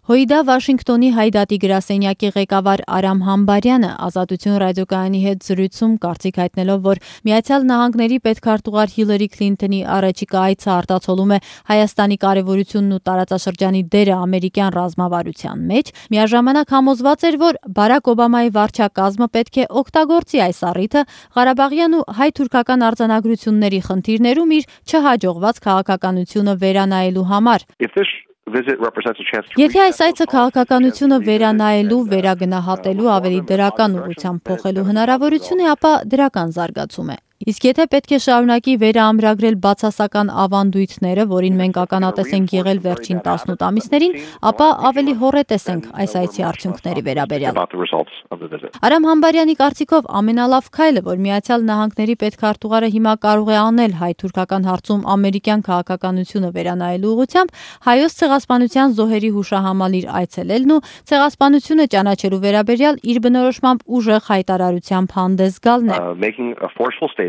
Հույդա Վաշինգտոնի Հայդատի գրասենյակի ղեկավար Արամ Համբարյանը Ազատություն ռադիոկայանի հետ զրույցում կարծիք հայտնելով, որ Միացյալ Նահանգների պետքարտուղար Հիլարի Քլինթոնի առաջիկա այցը արտացոլում է Հայաստանի կարևորությունն ու տարածաշրջանի դերը ամերիկյան ռազմավարության մեջ, միաժամանակ համոզված էր, որ Բարակ Օբամայի վարչակազմը պետք է օգտագործի այս առիթը Ղարաբաղյան ու հայ-թուրքական արձանագրությունների խնդիրներում իր չհաջողված քաղաքականությունը վերանայելու համար։ Եթե այս այցը քաղաքականությունը վերանայելու, վերագնահատելու, ավելի դրական ուղղությամբ փոխելու հնարավորություն է, ապա դրական զարգացում է։ Իսկ եթե պետք է շարունակի վերաամրագրել բացասական ավանդույթները, որին մենք ականատես ենք եղել վերջին 18 ամիսներին, ապա ավելի հոռետես ենք այս այցի արդյունքների վերաբերյալ։ Արամ Համբարյանի կարծիքով ամենալավ քայլը, որ Միացյալ Նահանգների պետքարտուղարը հիմա կարող է անել հայ-թուրքական հարցում ամերիկյան քաղաքականությունը վերանայելու ուղղությամբ, հայոց ցեղասպանության զոհերի հուշահամալիր այցելելն ու ցեղասպանությունը ճանաչելու վերաբերյալ իր բնորոշմամբ ուժեղ հայտարարությամբ հանդես գալն է։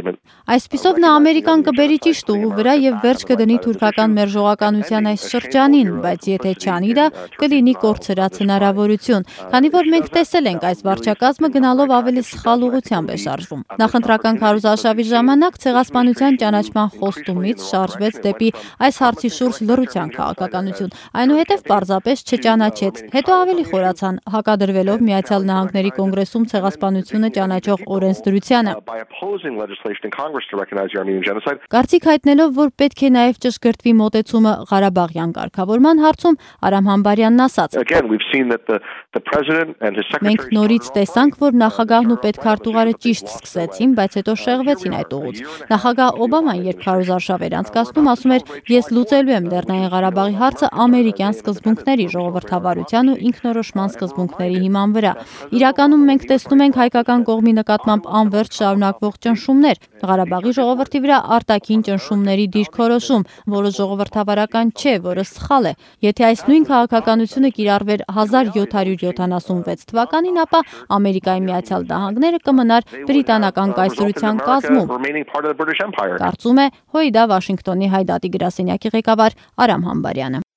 Այսպիսով նա Ամերիկան կբերի ճիշտ ուղու վրա եւ վերջ կդնի թուրքական մերժողականության այս շրջանին, բայց եթե չանի դա, կլինի կորցրած հնարավորություն, քանի որ մենք տեսել ենք այս վարչակազմը գնալով ավելի սխալ ուղղությամբ է շարժվում։ Նախընտրական քարոզարշավի ժամանակ ցեղասպանության ճանաչման խոստումից շարժվեց դեպի այս հարցի շուրջ լռության քաղաքականություն, այնուհետև պարզապես չճանաչեց, հետո ավելի խորացան, հակադրվելով Միացյալ Նահանգների կոնգրեսում ցեղասպանությունը ճանաչող օրենսդրությանը։ Կարծիք հայտնելով, որ պետք է նաև ճշգրտվի մոտեցումը Ղարաբաղյան կարգավորման հարցում, Արամ Համբարյանն ասաց. Մենք նորից տեսանք, որ նախագահն ու պետքարտուղարը ճիշտ սկսեցին, բայց հետո շեղվեցին այդ ուղուց։ Նախագահ Օբաման, երբ քարոզարշավ էր անցկացնում, ասում էր, ես լուծելու եմ Լեռնային Ղարաբաղի հարցը ամերիկյան սկզբունքների, ժողովրդավարության ու ինքնորոշման սկզբունքների հիման վրա։ Իրականում մենք տեսնում ենք հայկական կողմի նկատմամբ անվերջ շարունակվող ճնշումներ, Ղարաբաղի ժողովրդի վրա արտաքին ճնշումների դիրքորոշում, որը ժողովրդավարական չէ, որը սխալ է։ Եթե այս նույն քաղաքականությունը կիրառվեր 1776 թվականին, ապա Ամերիկայի Միացյալ Նահանգները կմնար բրիտանական կայսրության կազմում։ Կարծում է Հույդա Վաշինգտոնի Հայդատի գրասենյակի ղեկավար Արամ Համբարյանը։